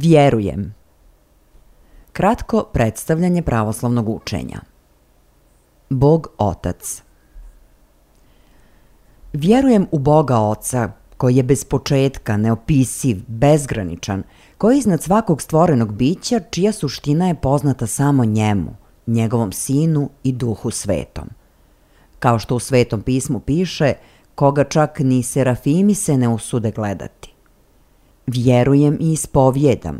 Vjerujem. Kratko predstavljanje pravoslavnog učenja. Bog Otac. Vjerujem u Boga Oca, koji je bez početka, neopisiv, bezgraničan, koji je iznad svakog stvorenog bića, čija suština je poznata samo njemu, njegovom Sinu i Duhu Svetom. Kao što u Svetom pismu piše, koga čak ni serafimi se ne usude gledati. Vjerujem i ispovjedam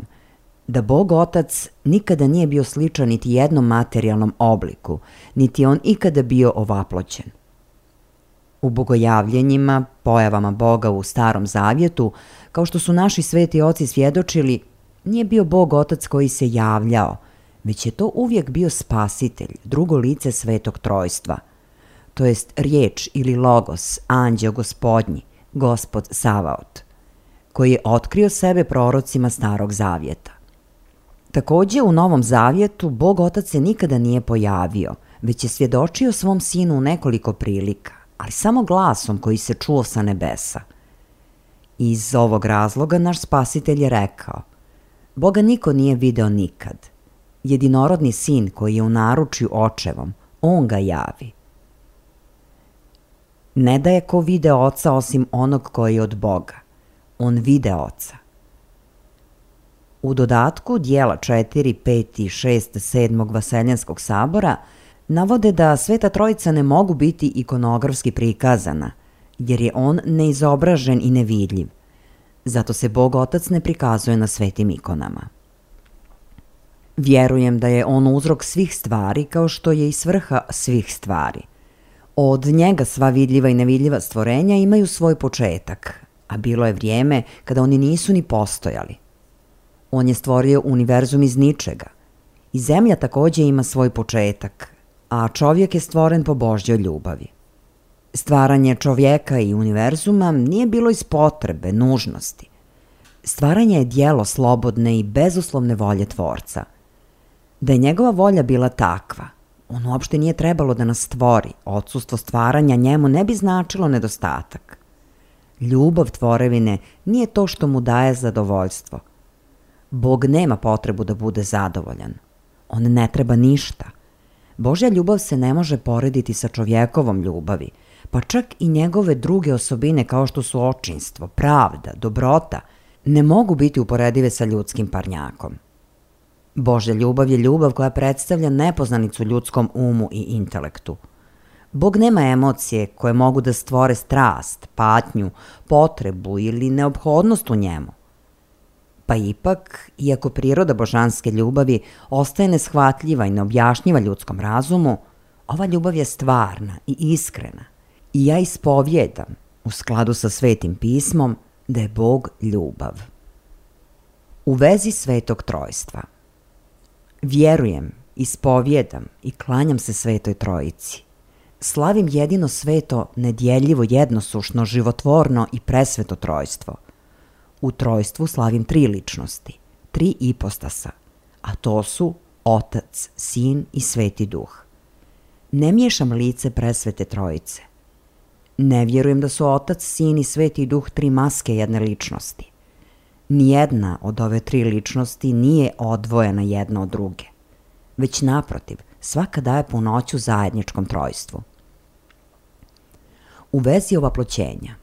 da Bog Otac nikada nije bio sličan niti jednom materijalnom obliku, niti on ikada bio ovaploćen. U bogojavljenjima, pojavama Boga u Starom Zavjetu, kao što su naši sveti oci svjedočili, nije bio Bog Otac koji se javljao, već je to uvijek bio Spasitelj, drugo lice Svetog Trojstva, to jest riječ ili logos, anđeo Gospodnji, Gospod Savaot, koji je otkrio sebe prorocima Starog Zavjeta. Također u Novom Zavjetu Bog Otac se nikada nije pojavio, već je svjedočio svom Sinu u nekoliko prilika, ali samo glasom koji se čuo sa nebesa. Iz ovog razloga naš Spasitelj je rekao: Boga niko nije video nikad. Jedinorodni Sin koji je u naručju Očevom, on ga javi. Ne da je ko vide Oca osim onog koji je od Boga. On vide Oca. U dodatku dijela 4, 5 i 6, 7. Vaseljenskog sabora navode da Sveta Trojica ne mogu biti ikonografski prikazana, jer je on neizobražen i nevidljiv. Zato se Bog Otac ne prikazuje na svetim ikonama. Vjerujem da je on uzrok svih stvari kao što je i svrha svih stvari. Od njega sva vidljiva i nevidljiva stvorenja imaju svoj početak, a bilo je vrijeme kada oni nisu ni postojali. On je stvorio univerzum iz ničega. I zemlja također ima svoj početak, a čovjek je stvoren po Božjoj ljubavi. Stvaranje čovjeka i univerzuma nije bilo iz potrebe, nužnosti. Stvaranje je djelo slobodne i bezuslovne volje Tvorca. Da je njegova volja bila takva, on uopšte nije trebalo da nas stvori, odsustvo stvaranja njemu ne bi značilo nedostatak. Ljubav tvorevine nije to što mu daje zadovoljstvo. Bog nema potrebu da bude zadovoljan. On ne treba ništa. Božja ljubav se ne može porediti sa čovjekovom ljubavi, pa čak i njegove druge osobine kao što su očinstvo, pravda, dobrota, ne mogu biti uporedive sa ljudskim parnjakom. Božja ljubav je ljubav koja predstavlja nepoznanicu ljudskom umu i intelektu. Bog nema emocije koje mogu da stvore strast, patnju, potrebu ili neophodnost u njemu. Pa ipak, iako priroda božanske ljubavi ostaje neshvatljiva i neobjašnjiva ljudskom razumu, ova ljubav je stvarna i iskrena. I ja ispovjedam, u skladu sa Svetim pismom, da je Bog ljubav. U vezi Svetog Trojstva. Vjerujem, ispovjedam i klanjam se Svetoj Trojici. Slavim jedino sveto, nedjeljivo, jednosušno, životvorno i presveto trojstvo. U trojstvu slavim 3 ličnosti, 3 ipostasa, a to su Otac, Sin i Sveti Duh. Ne miješam lice presvete Trojice. Ne vjerujem da su Otac, Sin i Sveti Duh 3 maske jedne ličnosti. Nijedna od ove 3 ličnosti nije odvojena jedna od druge, već naprotiv, svaka daje punoću zajedničkom trojstvu. U vezi ovaploćenja.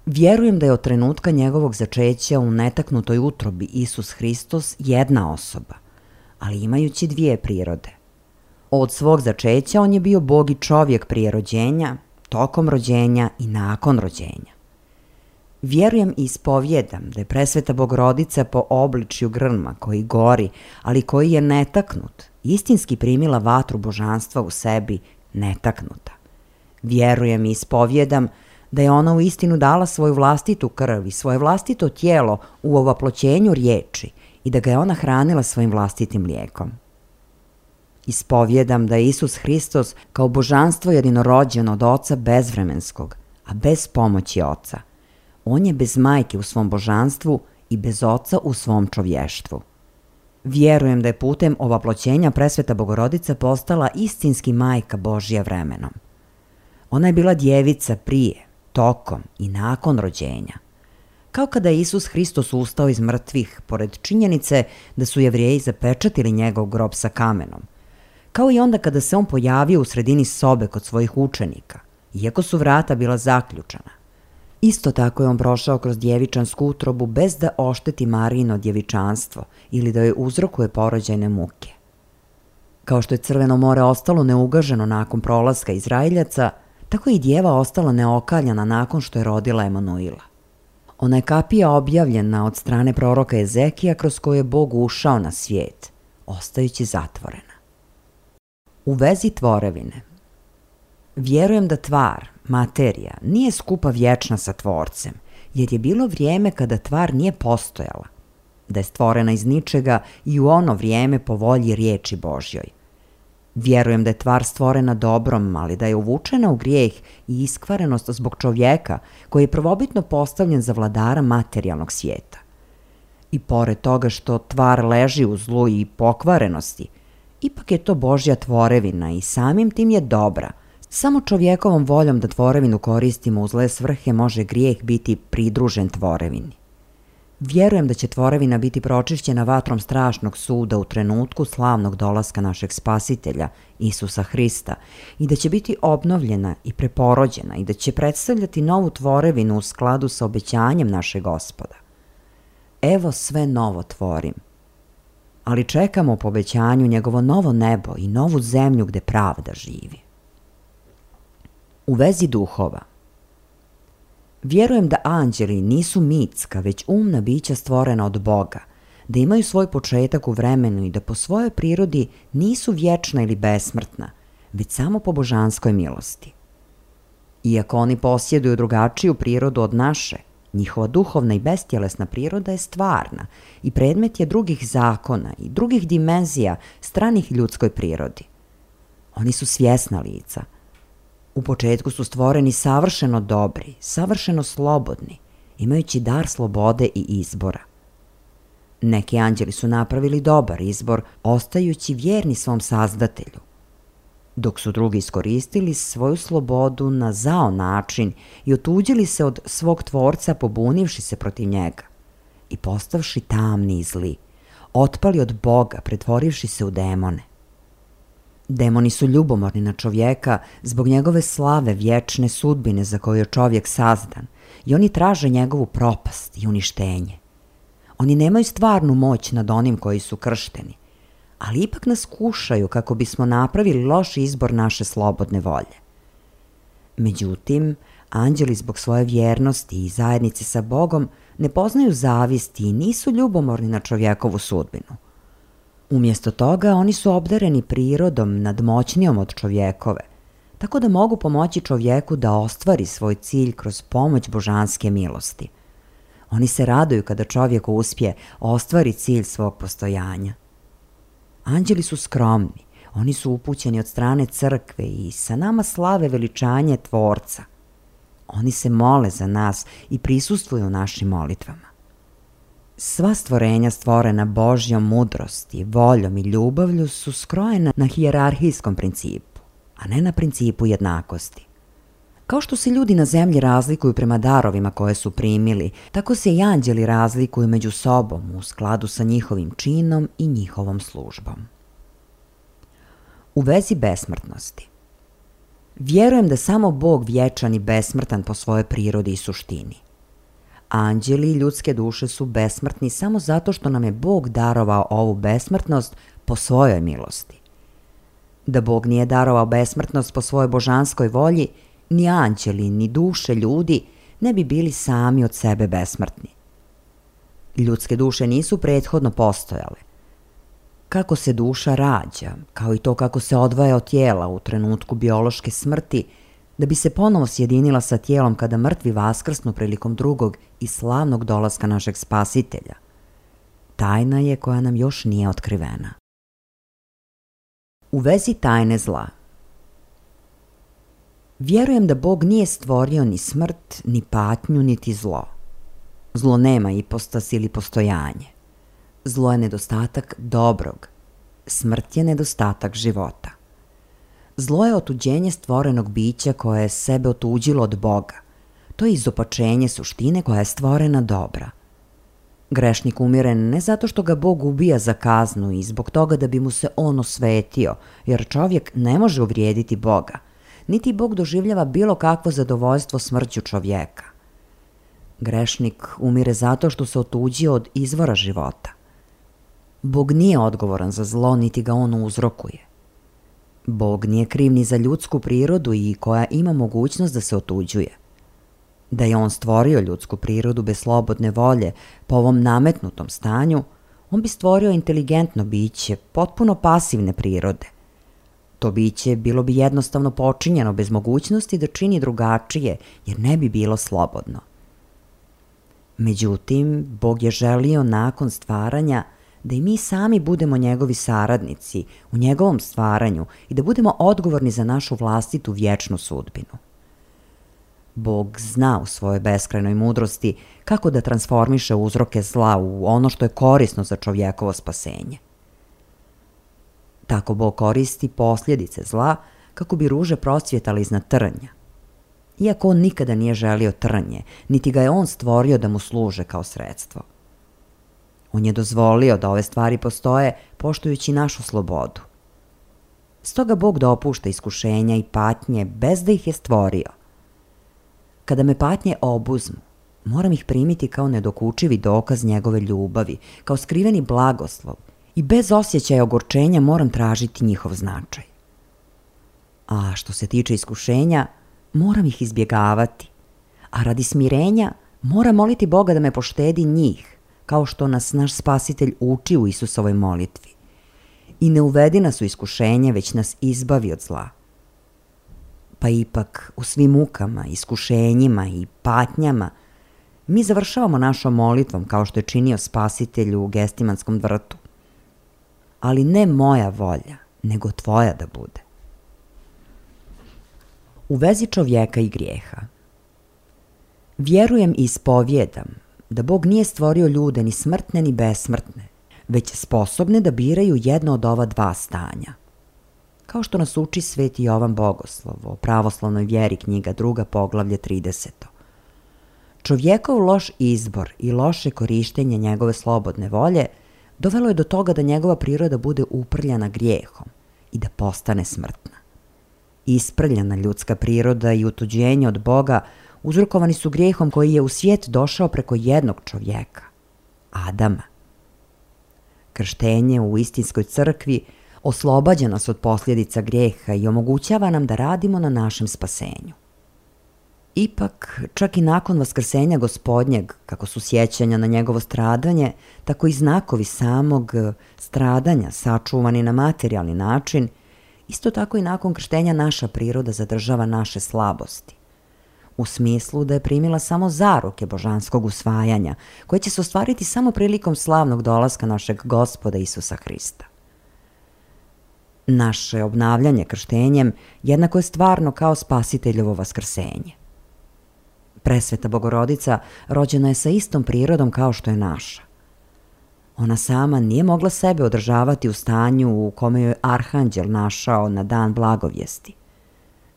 Vjerujem da je od trenutka njegovog začeća u netaknutoj utrobi Isus Hristos jedna osoba, ali imajući 2 prirode. Od svog začeća on je bio Bog i čovjek prije rođenja, tokom rođenja i nakon rođenja. Vjerujem i ispovjedam da je presveta Bogorodica po obličju grma koji gori, ali koji je netaknut, istinski primila vatru božanstva u sebi netaknuta. Vjerujem i ispovjedam da je ona u istinu dala svoju vlastitu krv i svoje vlastito tijelo u ovaploćenju riječi i da ga je ona hranila svojim vlastitim mlijekom. Ispovjedam da je Isus Hristos kao božanstvo jedinorođen od Oca bezvremenskog, a bez pomoći Oca. On je bez majke u svom božanstvu i bez Oca u svom čovještvu. Vjerujem da je putem ovaploćenja presveta Bogorodica postala istinski majka Božja vremenom. Ona je bila djevica prije, tokom i nakon rođenja. Kao kada je Isus Hristos ustao iz mrtvih, pored činjenice da su Jevrijeji zapečatili njegov grob sa kamenom. kao i onda kada se on pojavio u sredini sobe kod svojih učenika, iako su vrata bila zaključana. Isto tako je on prošao kroz djevičansku utrobu bez da ošteti Marijino djevičanstvo ili da joj uzrokuje porođajne muke. Kao što je Crveno more ostalo neugaženo nakon prolaska Izraeljaca, tako je i djeva ostala neokaljana nakon što je rodila Emanuila. Ona je kapija objavljena od strane proroka Ezekija kroz koju je Bog ušao na svijet, ostajući zatvorena. U vezi tvorevine. Vjerujem da tvar, materija, nije skupa vječna sa tvorcem, jer je bilo vrijeme kada tvar nije postojala, da je stvorena iz ničega i u ono vrijeme po volji riječi Božjoj. Vjerujem da je tvar stvorena dobrom, ali da je uvučena u grijeh i iskvarenost zbog čovjeka koji je prvobitno postavljen za vladara materijalnog svijeta. I pored toga što tvar leži u zlu i pokvarenosti, ipak je to Božja tvorevina i samim tim je dobra. Samo čovjekovom voljom da tvorevinu koristimo u zle svrhe može grijeh biti pridružen tvorevini. Vjerujem da će tvorevina biti pročišćena vatrom strašnog suda u trenutku slavnog dolaska našeg Spasitelja, Isusa Hrista, i da će biti obnovljena i preporođena i da će predstavljati novu tvorevinu u skladu sa obećanjem našeg Gospoda. Evo sve novo tvorim. Ali čekamo po obećanju njegovo novo nebo i novu zemlju gde pravda živi. U vezi duhova. Vjerujem da anđeli nisu mitska, već umna bića stvorena od Boga, da imaju svoj početak u vremenu i da po svojoj prirodi nisu vječna ili besmrtna, već samo po božanskoj milosti. Iako oni posjeduju drugačiju prirodu od naše, njihova duhovna i bestjelesna priroda je stvarna i predmet je drugih zakona i drugih dimenzija stranih ljudskoj prirodi. Oni su svjesna lica. U početku su stvoreni savršeno dobri, savršeno slobodni, imajući dar slobode i izbora. Neki anđeli su napravili dobar izbor, ostajući vjerni svom sazdatelju, dok su drugi iskoristili svoju slobodu na zao način i otuđili se od svog tvorca pobunivši se protiv njega i postavši tamni i zli, otpali od Boga pretvorivši se u demone. Demoni su ljubomorni na čovjeka zbog njegove slave vječne sudbine za koju je čovjek sazdan i oni traže njegovu propast i uništenje. Oni nemaju stvarnu moć nad onim koji su kršteni, ali ipak nas kušaju kako bismo napravili loš izbor naše slobodne volje. Međutim, anđeli zbog svoje vjernosti i zajednice sa Bogom ne poznaju zavisti i nisu ljubomorni na čovjekovu sudbinu. Umjesto toga, oni su obdareni prirodom nadmoćnijom od čovjekove, tako da mogu pomoći čovjeku da ostvari svoj cilj kroz pomoć božanske milosti. Oni se raduju kada čovjek uspije ostvari cilj svog postojanja. Anđeli su skromni, oni su upućeni od strane crkve i sa nama slave veličanje Tvorca. Oni se mole za nas i prisustvuju našim molitvama. Sva stvorenja stvorena Božjom mudrosti, voljom i ljubavlju su skrojena na hijerarhijskom principu, a ne na principu jednakosti. Kao što se ljudi na zemlji razlikuju prema darovima koje su primili, tako se i anđeli razlikuju među sobom u skladu sa njihovim činom i njihovom službom. U vezi besmrtnosti. Vjerujem da samo Bog vječan i besmrtan po svojoj prirodi i suštini. Anđeli i ljudske duše su besmrtni samo zato što nam je Bog darovao ovu besmrtnost po svojoj milosti. Da Bog nije darovao besmrtnost po svojoj božanskoj volji, ni anđeli, ni duše ljudi ne bi bili sami od sebe besmrtni. Ljudske duše nisu prethodno postojale. Kako se duša rađa, kao i to kako se odvaja od tijela u trenutku biološke smrti, da bi se ponovo sjedinila sa tijelom kada mrtvi vaskrsnu prilikom drugog i slavnog dolaska našeg Spasitelja. Tajna je koja nam još nije otkrivena. U vezi tajne zla. Vjerujem da Bog nije stvorio ni smrt, ni patnju, niti zlo. Zlo nema ipostas ili postojanje. Zlo je nedostatak dobrog. Smrt je nedostatak života. Zlo je otuđenje stvorenog bića koje je sebe otuđilo od Boga. To je izopačenje suštine koja je stvorena dobra. Grešnik umire ne zato što ga Bog ubija za kaznu i zbog toga da bi mu se on osvetio, jer čovjek ne može uvrijediti Boga, niti Bog doživljava bilo kakvo zadovoljstvo smrću čovjeka. Grešnik umire zato što se otuđio od izvora života. Bog nije odgovoran za zlo, niti ga on uzrokuje. Bog nije kriv ni za ljudsku prirodu i koja ima mogućnost da se otuđuje. Da je on stvorio ljudsku prirodu bez slobodne volje po ovom nametnutom stanju, on bi stvorio inteligentno biće, potpuno pasivne prirode. To biće bilo bi jednostavno počinjeno bez mogućnosti da čini drugačije, jer ne bi bilo slobodno. Međutim, Bog je želio nakon stvaranja da i mi sami budemo njegovi saradnici u njegovom stvaranju i da budemo odgovorni za našu vlastitu vječnu sudbinu. Bog zna u svojoj beskrajnoj mudrosti kako da transformiše uzroke zla u ono što je korisno za čovjekovo spasenje. Tako Bog koristi posljedice zla kako bi ruže procvjetale iznad trnja. Iako on nikada nije želio trnje, niti ga je on stvorio da mu služe kao sredstvo. On je dozvolio da ove stvari postoje poštujući našu slobodu. Stoga Bog dopušta iskušenja i patnje bez da ih je stvorio. Kada me patnje obuzmu, moram ih primiti kao nedokučivi dokaz njegove ljubavi, kao skriveni blagoslov i bez osjećaja ogorčenja moram tražiti njihov značaj. A što se tiče iskušenja, moram ih izbjegavati, a radi smirenja moram moliti Boga da me poštedi njih, kao što nas naš Spasitelj uči u Isusovoj molitvi. I ne uvedi nas u iskušenje, već nas izbavi od zla. Pa ipak, u svim mukama, iskušenjima i patnjama, mi završavamo našom molitvom kao što je činio Spasitelj u Gestimanskom vrtu. Ali ne moja volja, nego tvoja da bude. U vezi čovjeka i grijeha. Vjerujem i ispovjedam da Bog nije stvorio ljude ni smrtne ni besmrtne, već sposobne da biraju jedno od ova dva stanja. Kao što nas uči Sveti Jovan Bogoslov o pravoslavnoj vjeri, knjiga 2, poglavlje 30. Čovjekov loš izbor i loše korištenje njegove slobodne volje dovelo je do toga da njegova priroda bude uprljana grijehom i da postane smrtna. Isprljana ljudska priroda i utuđenje od Boga uzrokovani su grijehom koji je u svijet došao preko jednog čovjeka, Adama. Krštenje u istinskoj crkvi oslobađa nas od posljedica grijeha i omogućava nam da radimo na našem spasenju. Ipak, čak i nakon vaskrsenja Gospodnjeg, kako su sjećanja na njegovo stradanje, tako i znakovi samog stradanja sačuvani na materijalni način, isto tako i nakon krštenja naša priroda zadržava naše slabosti. U smislu da je primila samo zaruke božanskog usvajanja, koje će se ostvariti samo prilikom slavnog dolaska našeg Gospoda Isusa Hrista. Naše obnavljanje krštenjem jednako je stvarno kao Spasiteljovo vaskrsenje. Presveta Bogorodica rođena je sa istom prirodom kao što je naša. Ona sama nije mogla sebe održavati u stanju u kome joj Arhanđel našao na dan blagovijesti,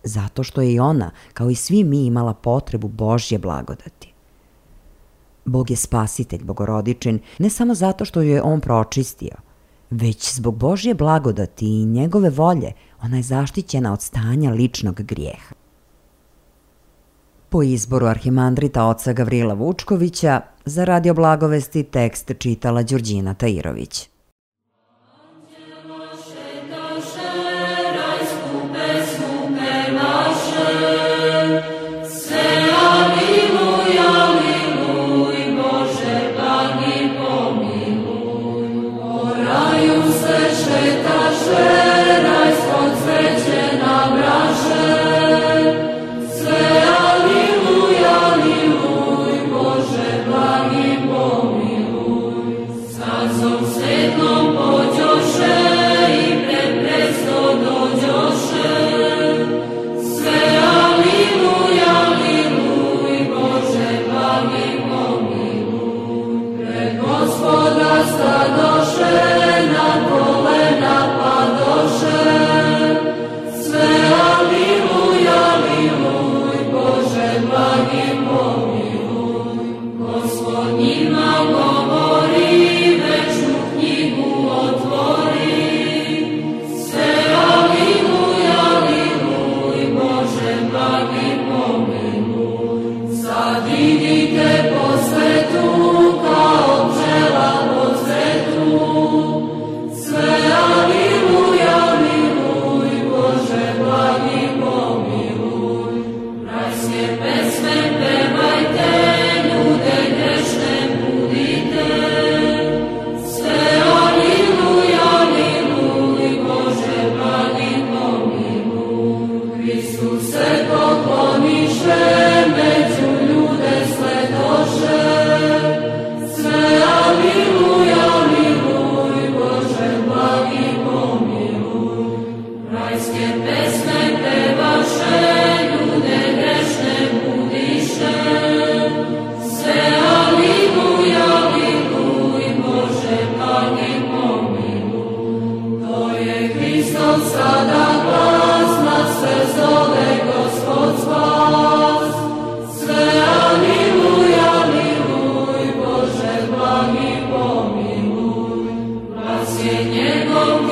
zato što je i ona, kao i svi mi, imala potrebu Božje blagodati. Bog je Spasitelj Bogorodičin ne samo zato što ju je on pročistio, već zbog Božje blagodati i njegove volje ona je zaštićena od stanja ličnog grijeha. Po izboru arhimandrita oca Gavrila Vučkovića, za Radio Blagovesti tekst čitala Đurđina Tajirović. Sveta Njegov